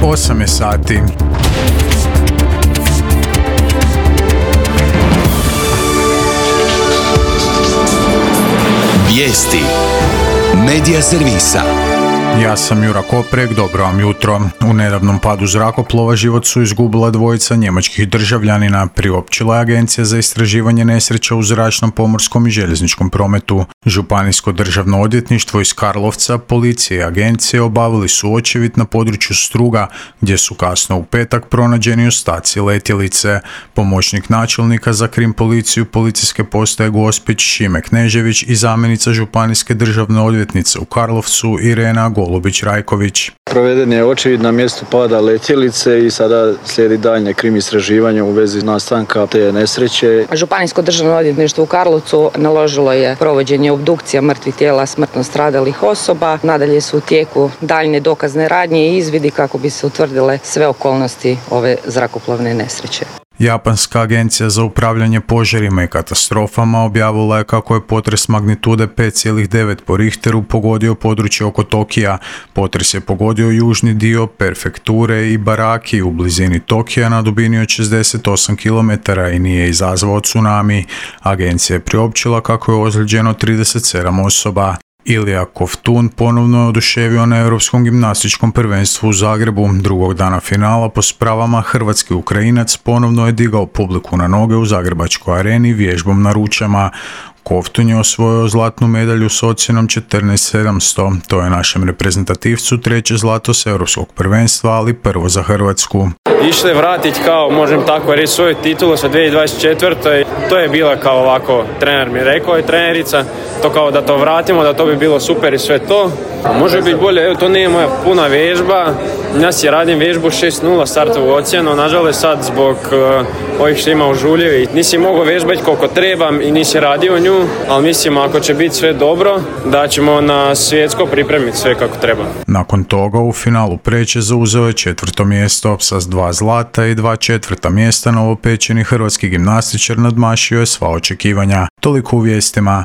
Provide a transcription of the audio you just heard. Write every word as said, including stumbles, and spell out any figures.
osam je sati. Vijesti Medija servisa. Ja sam Jura Koprek, dobro vam jutro. U nedavnom padu zrakoplova život su izgubila dvojica njemačkih državljanina, priopćila je Agencija za istraživanje nesreća u zračnom, pomorskom i željezničkom prometu. Županijsko državno odvjetništvo iz Karlovca, policije i agencije obavili su očevid na području Struga, gdje su kasno u petak pronađeni ostaci letjelice. Pomoćnik načelnika za krim policiju policijske postaje Gospić Šime Knežević i zamjenica županijske državne odvjetnice u Karlovcu Irena Golubić-Rajković. Proveden je očevid na mjestu pada letjelice i sada slijedi daljnje krim istraživanje u vezi nastanka te nesreće. Županijsko državno odvjetništvo u Karlovcu naložilo je provođenje obdukcija mrtvih tijela smrtno stradalih osoba. Nadalje su u tijeku daljnje dokazne radnje i izvidi kako bi se utvrdile sve okolnosti ove zrakoplovne nesreće. Japanska agencija za upravljanje požarima i katastrofama objavila je kako je potres magnitude pet zarez devet po Richteru pogodio područje oko Tokija. Potres je pogodio južni dio prefekture Ibaraki u blizini Tokija na dubini od šezdeset osam kilometara i nije izazvao tsunami. Agencija je priopćila kako je ozlijeđeno trideset sedam osoba. Ilija Kovtun ponovno je oduševio na Europskom gimnastičkom prvenstvu u Zagrebu. Drugog dana finala po spravama hrvatski Ukrajinac ponovno je digao publiku na noge u Zagrebačkoj areni vježbom na ručama. Kovtun je osvojio zlatnu medalju s ocjenom četrnaest sedamsto. To je našem reprezentativcu treće zlato s Europskog prvenstva, ali prvo za Hrvatsku. Išli vratiti kao, možem tako reći, svoju titulu sa dvije tisuće dvadeset četvrte. To je bila kao ovako, trener mi rekao je trenerica, to kao da to vratimo, da to bi bilo super i sve to. A može biti bolje, evo to nije moja puna vježba. Ja si radim vježbu šest nula startovu ocjenu, nažalost sad zbog uh, ovih što ima u Žuljevi. Nisi mogao vježbati koliko trebam i nisi radio nju, ali mislim ako će biti sve dobro, da ćemo na svjetsko pripremiti sve kako treba. Nakon toga u finalu preće zauzeo je četvrto mjesto sa dva zlata i dva četvrta mjesta. Novopečeni hrvatski gimnastičar nadmašio je sva očekivanja. Toliko u vijestima.